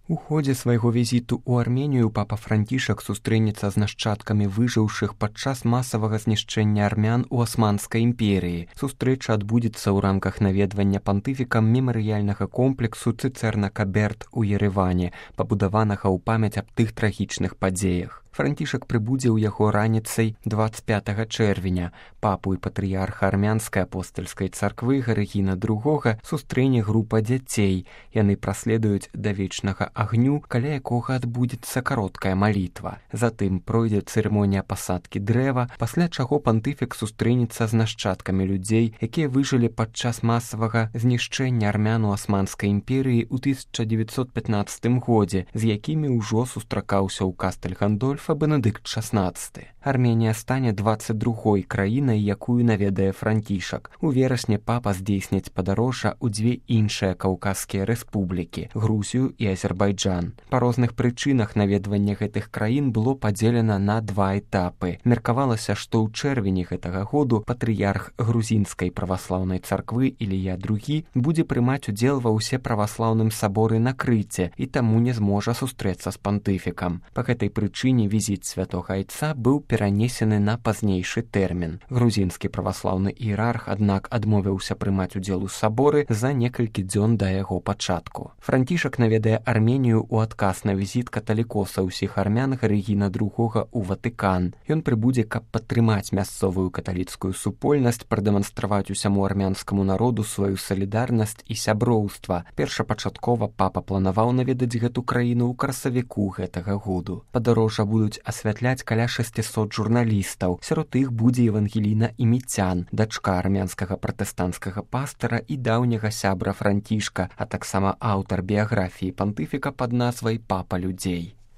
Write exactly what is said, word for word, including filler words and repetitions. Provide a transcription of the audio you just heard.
У ходзе свайго візіту ў Арменію папа Францішак сустрэнецца з нашчадкамі выжыўшых падчас масавага знішчэння армян у Асманскай імперыі. Сустрэча адбудзецца ў рамках наведвання пантыфікам мемарыяльнага комплексу Цыцэрна-Каберт у Ереване, пабудаванага ў памяць аб тых трагічных падзеях. Францішак прыбудзе ў яго раніцай дваццаць пятага чэрвеня. Папу і патрыярха армянскай апостальскай царквы Гарыгіна другога сустрэне група дзяцей. Яны праследуюць да вечнага агню, каля якога адбудзецца кароткая малітва. Затым пройдзе цырымонія пасадкі дрэва, пасля чаго пантыфік сустрэнецца з нашчадкамі людзей, якія выжылі падчас масавага знішчэння армян у Асманскай імперыі ў тысяча дзевяцьсот пятнаццатым годзе, з якімі ўжо сустракаўся ў Кастэль-Гандольфа Бенедыкт шаснаццаты. Арменія стане дваццаць другой краінай, якую наведае Францішак. У верасні папа здзейсніць падарожжа ў дзве іншыя каўказскія рэспублікі – Грузію і Азербайджан. Па розных прычынах наведвання гэтых краін было падзелена на два этапы. Меркавалася, што ў чэрвені гэтага году патрыярх грузінскай праваслаўнай царквы Ілія другі будзе прымаць удзел ва ўсеправаслаўным саборы на Крыце і таму не зможа сустрэцца з пантыфікам. Па гэтай прычыне візіт святога айца быў перанесены на пазнейшы тэрмін. Грузінскі праваслаўны іерарх, аднак, адмовіўся прымаць удзел у саборы за некалькі дзён да яго пачатку. Францішак наведае Арменію ў адказ на візіт каталікоса ўсіх армян Гарыгіна другога ў Ватыкан. Ён прыбудзе, каб падтрымаць мясцовую каталіцкую супольнасць, прадэманстраваць усяму армянскаму народу сваю салідарнасць і сяброўства. Першапачаткова папа планаваў наведаць гэту краіну ў красавіку гэтага году. Падарожжа будуць асвятляць каля шасцісот журналістаў. Сярод іх будзе Евангеліна Іміцян, дачка армянскага пратэстанцкага пастара і даўняга сябра Францішка, а таксама аўтар біяграфіі пантыфіка пад назвай «Папа людзей».